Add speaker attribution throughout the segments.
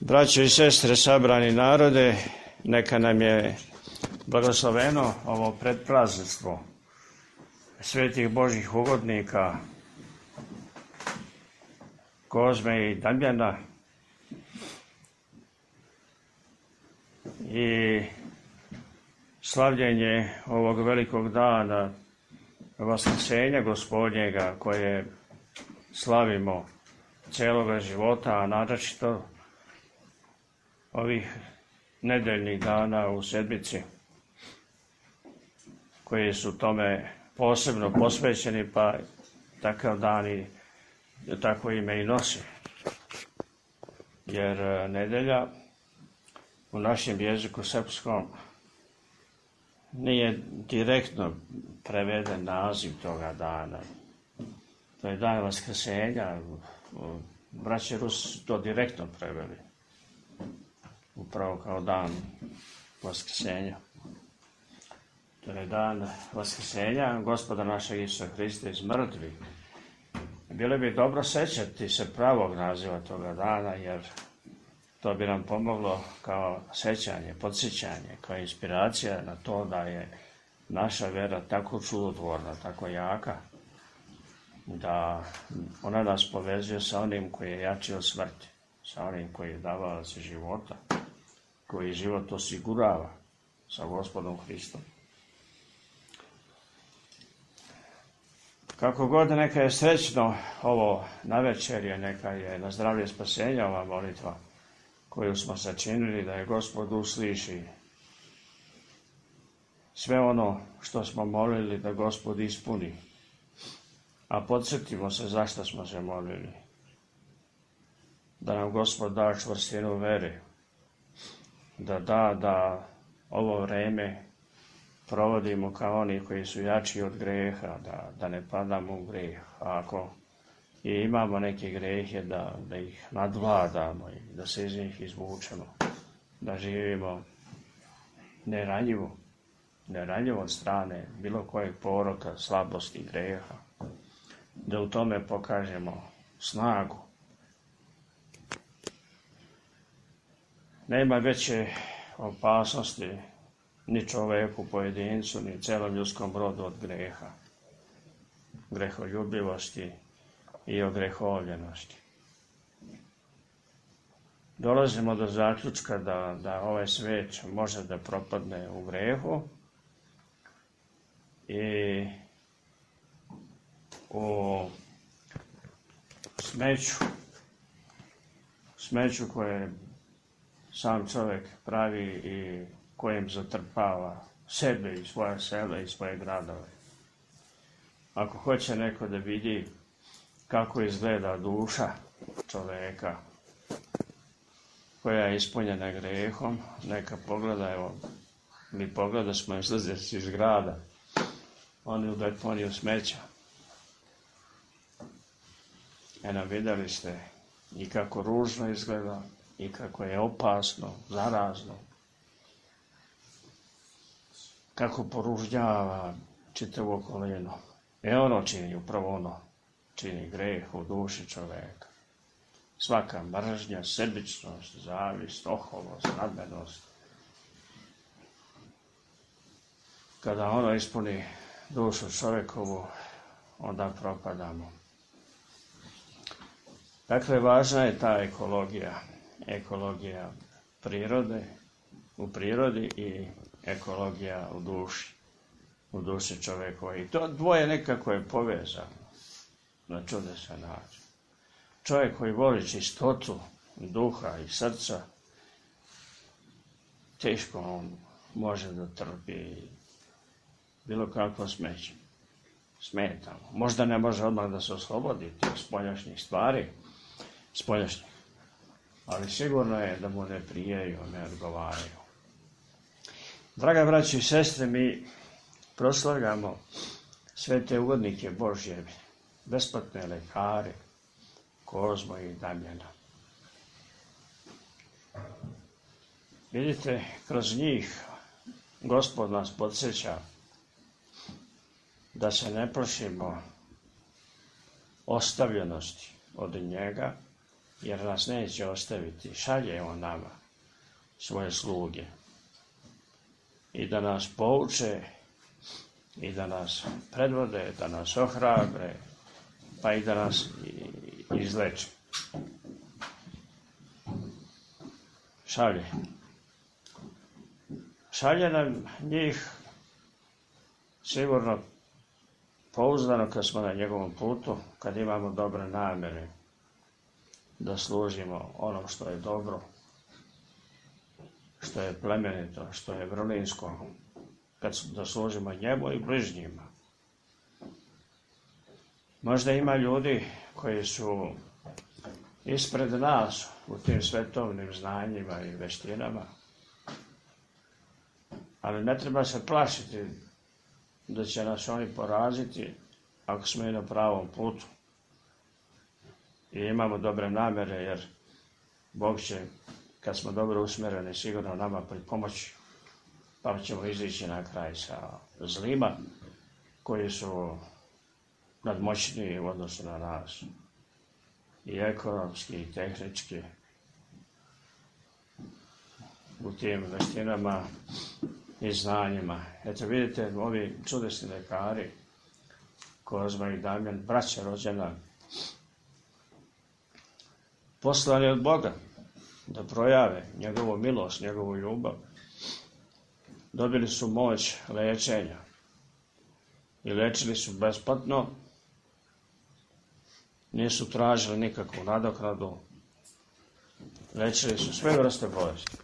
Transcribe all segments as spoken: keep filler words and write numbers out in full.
Speaker 1: Braćo i sestre, sabrani narode, neka nam je blagosloveno ovo predprazništvo svetih Božjih ugodnika Kozme i Damjana i slavljenje ovog velikog dana Vaskrsenja Gospodnjega koje slavimo cijeloga života, a naročito ovih nedeljnih dana u sedmici koji su tome posebno posvećeni, pa takav dan i tako ime i nosi. Jer nedelja u našem jeziku srpskom nije direktno preveden naziv toga dana. To je dan Vaskrsenja. Braće Rusi su to direktno preveli, upravo kao dan Vaskrsenja. To je dan Vaskrsenja Gospoda našeg Isusa Hrista iz mrtvih. Bilo bi dobro sećati se pravog naziva toga dana, jer to bi nam pomoglo kao sećanje, podsjećanje, kao inspiracija na to da je naša vera tako čudotvorna, tako jaka, da ona nas povezuje sa onim koji je jači od smrti, sa onim koji je davalac života, koji život osigurava sa Gospodom Hristom. Kako god neka je srećno ovo navečerje, neka je na zdravlje spasenja ova molitva koju smo sačinili, da je Gospod usliši sve ono što smo molili da Gospod ispuni. A podsjetimo se zašto smo se molili. Da nam Gospod da čvrstinu vere, da da da ovo vreme provodimo kao oni koji su jači od greha, da, da ne padamo u greh. A ako i imamo neke grehe, da, da ih nadvladamo i da se iz njih izvučemo, da živimo neranjivo, neranjivo od strane bilo kojeg poroka, slabosti i greha, da u tome pokažemo snagu. Nema veće opasnosti ni čoveku, pojedincu, ni celom ljudskom rodu od greha, greholjubivosti i ogrehovljenosti. Dolazimo do zaključka da, da ovaj svet može da propadne u grehu i u smeću, smeću koje sam čovjek pravi i kojem zatrpava sebe i svoje sela i svoje gradove. Ako hoće neko da vidi kako izgleda duša čoveka koja je ispunjena grehom, neka pogleda, evo, mi pogleda smo izlazeći iz grada, oni u deponiju smeća. Eno, vidjeli ste i kako ružno izgleda, i kako je opasno, zarazno, kako poružnjava čitavo okolinu. E ono čini, upravo ono, čini greh u duši čoveka. Svaka mržnja, sebičnost, zavist, oholost, nadmenost. Kada ono ispuni dušu čovekovu, onda propadamo. Dakle, važna je ta ekologija, ekologija prirode, u prirodi i ekologija u duši, u duši čovekova. I to dvoje nekako je povezano na čudesan način. Čovjek koji voli čistotu duha i srca, teško on može da trpi bilo kakvo smeće. Smeta mu. Možda ne može odmah da se oslobodi tih spoljašnjih stvari, spoljašnjih, ali sigurno je da mu ne prijaju, ne odgovaraju. Draga braći i sestre, mi proslavljamo sve te ugodnike Božje, besplatne lekare, Kozmu i Damjana. Vidite, kroz njih Gospod nas podsjeća da se ne plašimo ostavljenosti od njega, jer nas neće ostaviti. Šalje on nama svoje sluge i da nas pouče i da nas predvode, da nas ohrabre, pa i da nas izleče. Šalje. Šalje nam njih sigurno pouzdano kad smo na njegovom putu, kad imamo dobre namjere da služimo onom što je dobro, što je plemenito, što je vrlinsko, kad da služimo njemu i bližnjima. Možda ima ljudi koji su ispred nas u tim svetovnim znanjima i veštinama, ali ne treba se plašiti da će nas oni poraziti ako smo i na pravom putu i imamo dobre namjere, jer Bog će, kad smo dobro usmjereni, sigurno nama pripomoći, pa ćemo izići na kraj sa zlima koji su nadmoćniji u odnosu na nas, i ekonomski i tehnički, u tim veštinama i znanjima. Eto vidite, ovi čudesni lekari, Kozma i Damjan, braća rođena, poslani od Boga da projave njegovu milost, njegovu ljubav, dobili su moć lečenja i lečili su besplatno, nisu tražili nikakvu nadoknadu, lečili su sve vrste bolesti,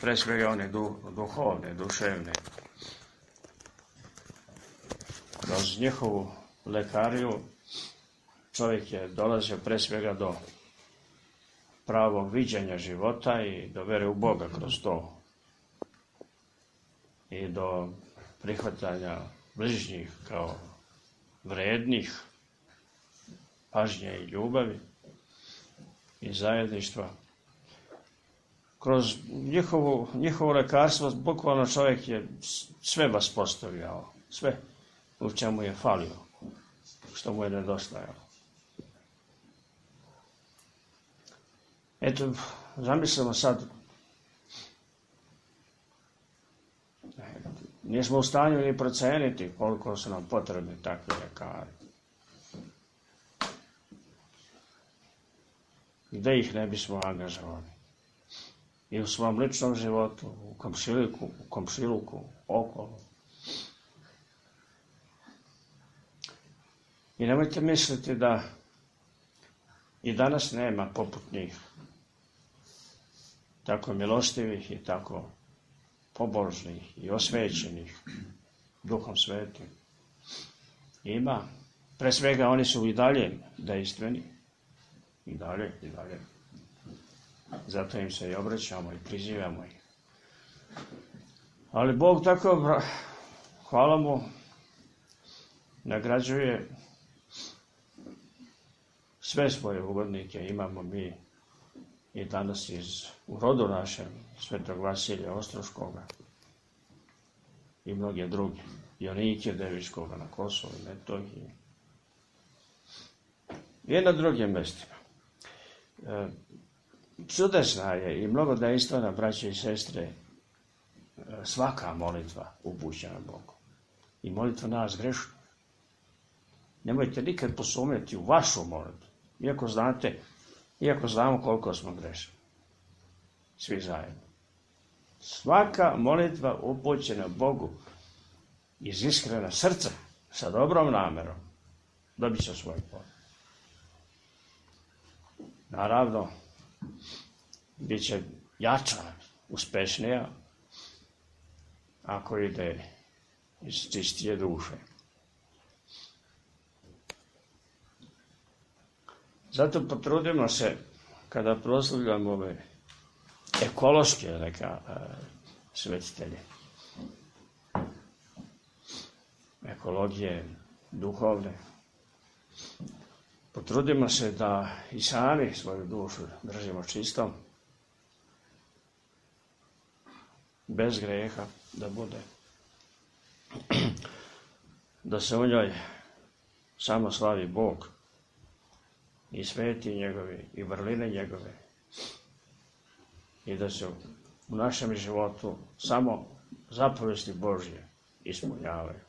Speaker 1: pre svega one du, duhovne, duševne. Kroz njihovu lekariju čovjek je dolazio pre svega do pravog viđenja života i do vere u Boga kroz to i do prihvatanja bližnjih kao vrednih pažnje i ljubavi i zajedništva. Kroz njihovu, njihovo lekarstvo bukvalno čovjek je sve vaspostavljao, sve u čemu je falio, što mu je nedostajalo. Eto, zamislimo sad, nismo u stanju ni proceniti koliko su nam potrebni takvi lekari. Gde ih ne bismo angažovali? I u svom ličnom životu, u komšiluku, u komšiluku, okolo. I nemojte misliti da i danas nema poput njih tako milostivih i tako pobožnih i osvećenih Duhom Svetim. Ima. Pre svega oni su i dalje dejstveni. I dalje, i dalje. Zato im se i obraćamo i prizivamo ih. Ali Bog tako, hvala mu, nagrađuje sve svoje ugodnike. Imamo mi i danas iz, u rodu našem, Svetog Vasilija Ostroškoga i mnoge druge, Jonike Devičkoga na Kosovu i Metohiji i na drugim mestima. E, čudesna je i mnogo dejstvena, braće i sestre, svaka molitva upućena Bogu. I molitva nas grešnih. Nemojte nikad posumnjati u vašu molitvu, iako znate, iako znamo koliko smo grešni. Svi zajedno. Svaka molitva upućena Bogu iz iskrena srca, sa dobrom namerom, dobit će svoj plod. Naravno, bit će jača, uspešnija, ako ide iz čistije duše. Zato potrudimo se, kada proslavljamo ove ekološke neka e, svetitelje, ekologije duhovne, potrudimo se da i sami svoju dušu držimo čistom, bez greha da bude, da se u njoj samo slavi Bog i sveti njegovi i vrline njegove i da se u našem životu samo zapovesti Božje ispunjavaju.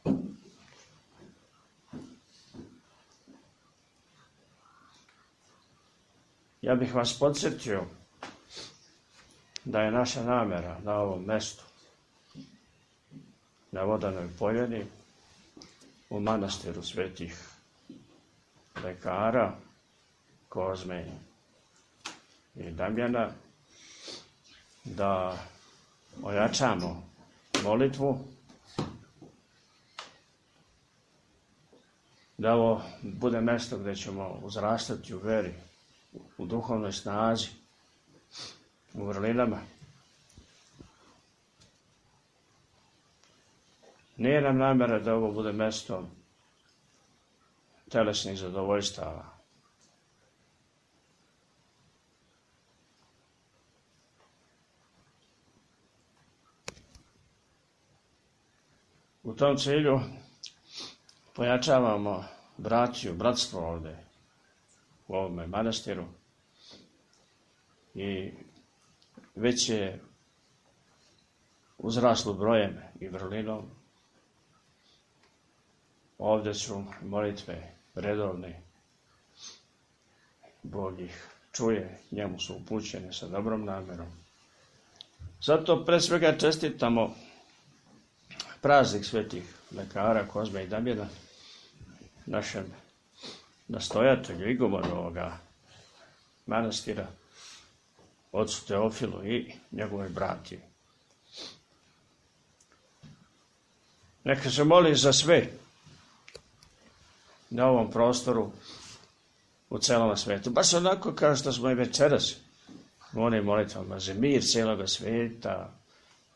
Speaker 1: Ja bih vas podsjetio da je naša namera na ovom mestu, na Vodanoj poljani, u manastiru svetih lekara Kozme i Damjana, da ojačamo molitvu, da ovo bude mesto gdje ćemo uzrastati u veri, u duhovnoj snazi, u vrlinama. Nije nam namjera da ovo bude mesto telesnih zadovoljstava. U tom cilju pojačavamo bratiju, bratstvo ovdje u ovome manastiru i već je uzraslo brojem i vrlinom. Ovdje su molitve redovne, Bog ih čuje, njemu su upućene sa dobrom namjerom. Zato pre svega čestitamo praznik svetih lekara Kozme i Damjana, našem nastojatelju, igumoru ovoga manastira, ocu Teofilu i njegove bratije. Neka se moli za sve na ovom prostoru u celom svijetu. Baš onako kao što smo i večeras u onim molitvama za mir cijeloga svijeta,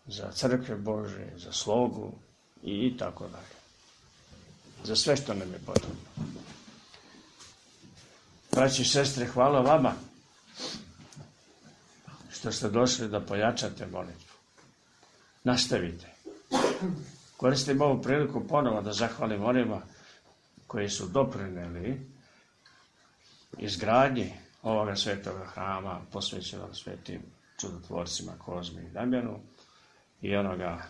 Speaker 1: za crkve Bože, za slogu i tako dalje. Za sve što nam je potrebno. Braći i sestre, hvala vama što ste došli da pojačate molitvu. Nastavite. Koristim ovu priliku ponovo da zahvalim onima koji su doprineli izgradnji ovoga svetoga hrama posvećenog svetim čudotvorcima Kozmi i Damjanu i onoga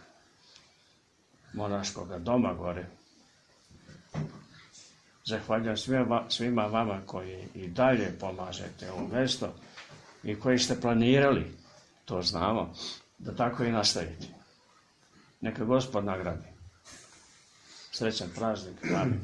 Speaker 1: monaškoga doma gore. Zahvaljujem svima, svima vama koji i dalje pomažete ovo mjesto i koji ste planirali, to znamo, da tako i nastavite. Neka Gospod nagradi. Srećan praznik. Amin.